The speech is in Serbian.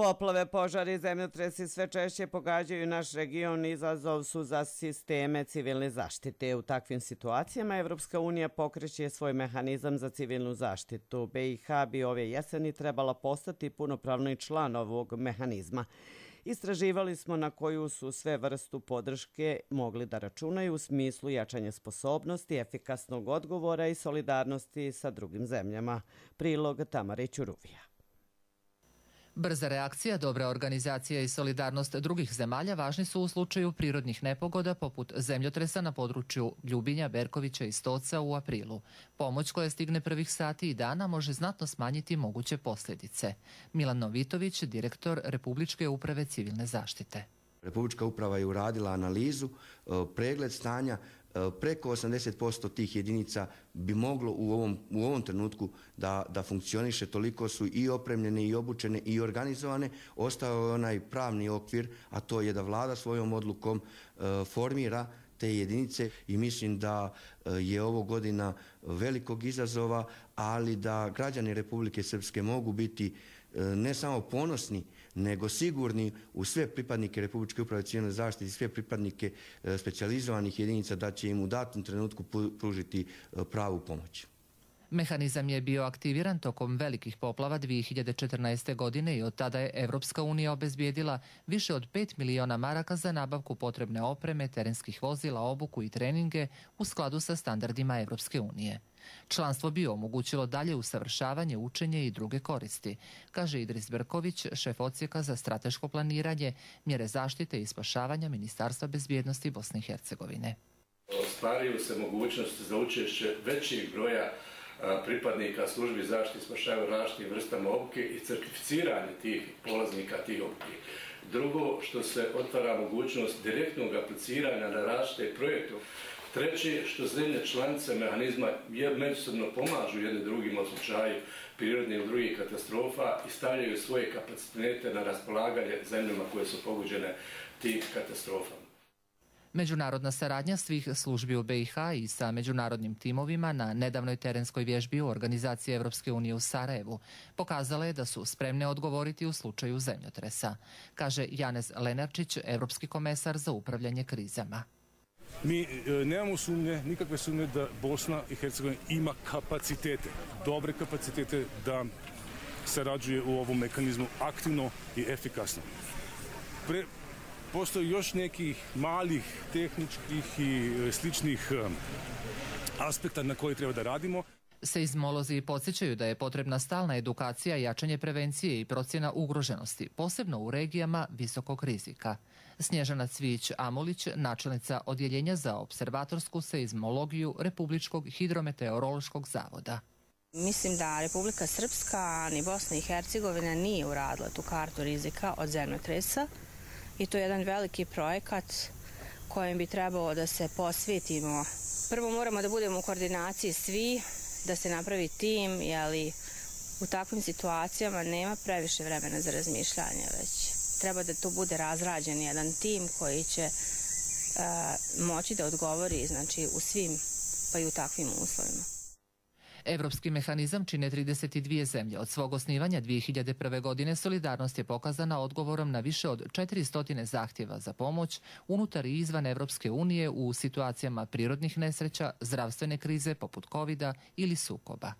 Poplave, požari, zemljotresi sve češće pogađaju naš region i izazov su za sisteme civilne zaštite. U takvim situacijama Evropska unija pokreće svoj mehanizam za civilnu zaštitu. BiH bi ove jeseni trebala postati punopravni član ovog mehanizma. Istraživali smo na koju su sve vrstu podrške mogli da računaju u smislu jačanja sposobnosti, efikasnog odgovora i solidarnosti sa drugim zemljama. Prilog Tamare Ćuruvija. Brza reakcija, dobra organizacija i solidarnost drugih zemalja važni su u slučaju prirodnih nepogoda poput zemljotresa na području Ljubinja, Berkovića i Stoca u aprilu. Pomoć koja stigne prvih sati i dana može znatno smanjiti moguće posljedice. Milan Novitović, direktor Republičke uprave civilne zaštite. Republička uprava je uradila analizu, pregled stanja, preko 80% tih jedinica bi moglo u ovom trenutku da funkcioniše, toliko su i opremljene i obučene i organizovane. Ostao je onaj pravni okvir, a to je da vlada svojom odlukom formira te jedinice i mislim da je ovo godina velikog izazova, ali da građani Republike Srpske mogu biti ne samo ponosni, nego sigurni u sve pripadnike Republičke uprave civilne zaštite i sve pripadnike specijalizovanih jedinica da će im u datom trenutku pružiti pravu pomoć. Mehanizam je bio aktiviran tokom velikih poplava 2014. godine i od tada je Evropska unija obezbijedila više od 5 miliona maraka za nabavku potrebne opreme, terenskih vozila, obuku i treninge u skladu sa standardima Evropske unije. Članstvo bi omogućilo dalje usavršavanje, učenje i druge koristi, kaže Idris Berković, šef odsjeka za strateško planiranje, mjere zaštite i spašavanja Ministarstva bezbjednosti Bosne i Hercegovine. Ostvaruju se mogućnosti za učešće većih broja pripadnika službi zaštite i spašavanja različitim vrstama obuke i certificiranje tih polaznika tih obuke. Drugo, što se otvara mogućnost direktnog apliciranja na različite projekte. Treće, što zemlje članice mehanizma međusobno pomažu jedne drugima u slučaju prirodnih ili drugih katastrofa i stavljaju svoje kapacitete na raspolaganje zemljama koje su pogođene tih katastrofama. Međunarodna saradnja svih službi u BiH i sa međunarodnim timovima na nedavnoj terenskoj vježbi u organizaciji Evropske unije u Sarajevu pokazala je da su spremne odgovoriti u slučaju zemljotresa, kaže Janez Lenarčić, evropski komesar za upravljanje krizama. Mi nemamo sumnje, nikakve sumnje da Bosna i Hercegovina ima kapacitete, dobre kapacitete da sarađuje u ovom mehanizmu aktivno i efikasno. Postoji još nekih malih tehničkih i sličnih aspekta na koji treba da radimo. Seizmolozi podsjećaju da je potrebna stalna edukacija, jačanje prevencije i procjena ugroženosti, posebno u regijama visokog rizika. Snježana Cvijić-Amulić, načelnica Odjeljenja za observatorsku seizmologiju Republičkog hidrometeorološkog zavoda. Mislim da Republika Srpska ni Bosna i Hercegovina nije uradila tu kartu rizika od zemljotresa i to je jedan veliki projekat kojem bi trebalo da se posvetimo. Prvo moramo da budemo u koordinaciji svi, da se napravi tim, jer u takvim situacijama nema previše vremena za razmišljanje, već treba da to bude razrađen jedan tim koji će moći da odgovori, znači, u svim, pa i u takvim uslovima. Evropski mehanizam čine 32 zemlje. Od svog osnivanja 2001. godine solidarnost je pokazana odgovorom na više od 400 zahtjeva za pomoć unutar i izvan Evropske unije u situacijama prirodnih nesreća, zdravstvene krize poput COVID-a ili sukoba.